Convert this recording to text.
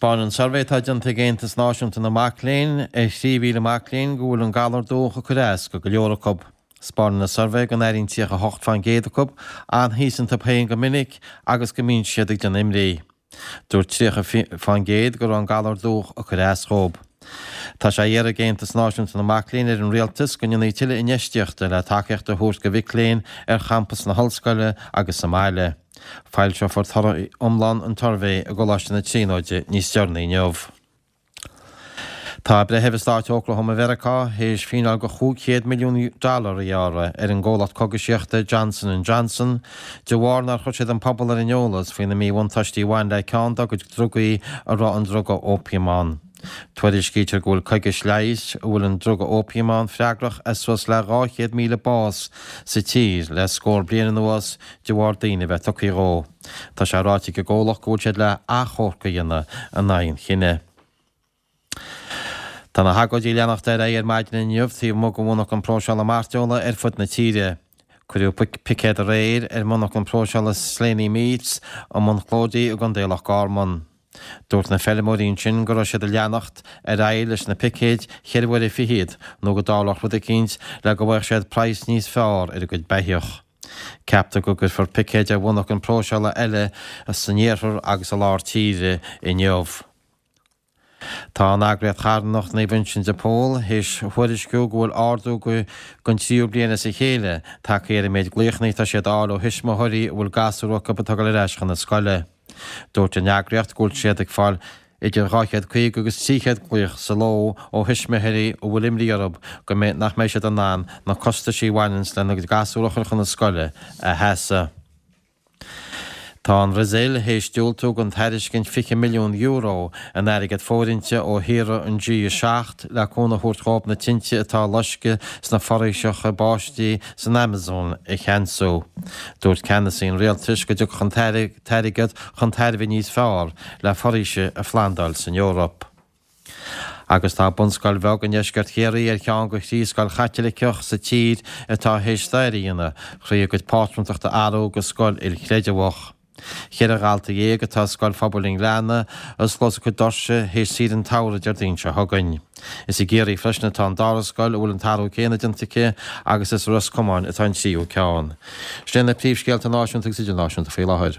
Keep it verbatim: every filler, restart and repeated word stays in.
Taispeánann suirbhé atá déanta ag Aontas Náisiúnta na Mac Léinn ar thrí mhíle mac léinn go bhfuil an galar dubhach ag cur as go go leor acu. Taispeánann an suirbhé go n-airíonn tríocha a hocht faoin gcéad acu an-thíos iontu féin go minic agus go mbíonn siad ag déanamh imní. Dúirt tríocha faoin gcéad go raibh an galar dubhach ag cur as dhóibh. Tá sé á iarraidh ag Aontas Náisiúnta na Mac Léinn ar an Rialtas go ndéanfaí tuilleadh infheistíochta le tacaíocht a thabhairt do mhic léinn ar champas na hollscoile agus sa mbaile. Foilseofar toradh iomlán an tsuirbhé i gColáiste na Tríonóide níos deireanaí inniu. Tá breitheamh i stáit Oklahoma Mheiriceá théis fíneáil de chúig chéad milliún dollar a ghearradh ar an gcomhlacht cogaisíochta Johnson and Johnson de bharr nár chuir siad an pobal ar an eolas faoi na míbhuntáistí a bhain le ceann dá gcuid drugaí a raibh an druga ópiam ann. Tuairiscítear go bhfuil coigis leighis a bhfuil an druga ópiam ann freagrach as suas le dhá chéad míle bás sa tír le scór bliain anuas de bharr daoine a bheith tugtha dhó. Tá sé ráite ag an gcomhlacht go bhfuil siad le achomharc a dhéanamh in aghaidh an chinnidh. Tá na hagóidí ag leanacht ar aghaidh ar maidin inniu taobh amuigh de mhonarchan próiseála mairteola ar fud na tíre. Cuireadh picéad aréir ar mhonarchan próiseála Slaney Meats i mBun Clóidí i gContae Loch Garman. Dúirt na feirmeoirí ansin go raibh siad ag leanacht ar aghaidh leis na picéid cheithre uaire fichead nó go dtarlódh rud eicínt le go bhfaigheadh siad praghas níos fearr ar a gcuid beithíoch. Ceaptar go gcuirfear picéid ar mhonarchan próiseála eile san iarthar agus i lár tíre inniu. Tá an eagraíocht charthanach Naomh Uinseann de Pól théis thuairisciú go bhfuil ardú don tríú bliain as a chéile tagtha ar an méid glaochanna atá siad a fháil ó thuismitheoirí a bhfuil gasúir acu ag tógáil ar ais chun na scoile. Dúirt an eagraíocht go bhfuil siad ag fáil idir dhá chéad caoga agus trí chéad glaoch sa ló ó thuismitheoirí a bhfuil imní orthu go mbeidh nach mbeidh siad in ann na costaisí a bhaineanns lena gcuid gasúr a chur chun na scoile a sheasamh. Tá an Bhrasaíl théis diúltú don tairiscint fiche milliún euro in airgead fóirithinte ó thíortha an G a seacht le cúnamh a thabhairt dhóibh na tinte atá ag loisceadh sna foraoiseacha báistí san Amazon a cheansú. Dúirt ceannasaí an rialtais go dtiocfadh an t-airgead chun tairbhe níos fearr le foraoise a phlandáil san Eoraip. Agus tá bunscoil bheag i ndeisceart Chiarraí ar cheann de thrí scoil Chaitliceach sa tír atá théis stair a dhéanamh thrí a gcuid pátrúntachta a athrú go scoil ilchreideamhach. Ceithre dhalta dhéag atá i Scoil Phobail an Ghleanna, a osclós a cuid doirse théis saoire an tsamhraidh Déardaoin seo chugainn. Is i gCiarraí freisin atá an dara scoil a bhfuil an t-athrú céanna déanta aici agus is i Ros Comáin atá an tríú ceann. Sin na príomhscéalta náisiúnta agus idirnáisiúnta faoi láthair.